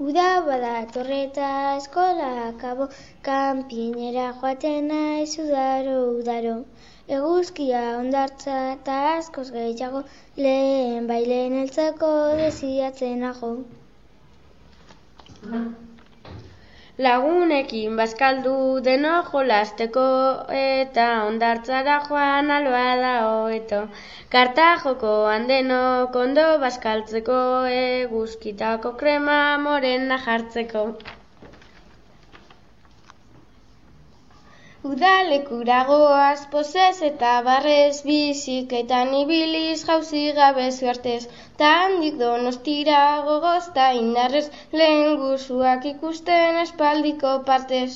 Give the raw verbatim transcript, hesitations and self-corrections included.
Uda badator eta eskola akabo, kanpinera joaten naiz udaro, udaro. Eguzkia hondartza eta askoz gehiago, lehen bailen heltzeko desiatzen nago. Lagunekin bazkaldu denok jolasteko eta hondartzara joan alba da hobeto. Karta jokoan denok ondo bazkaltzeko, eguzkitako krema morena jartzeko. Udalekura goaz pozez eta barrez, biziketan ibiliz jauzi gabe suertez, ta handik Donostira gogoz ta indarrez, lehen guzuak ikusten espaldiko partez.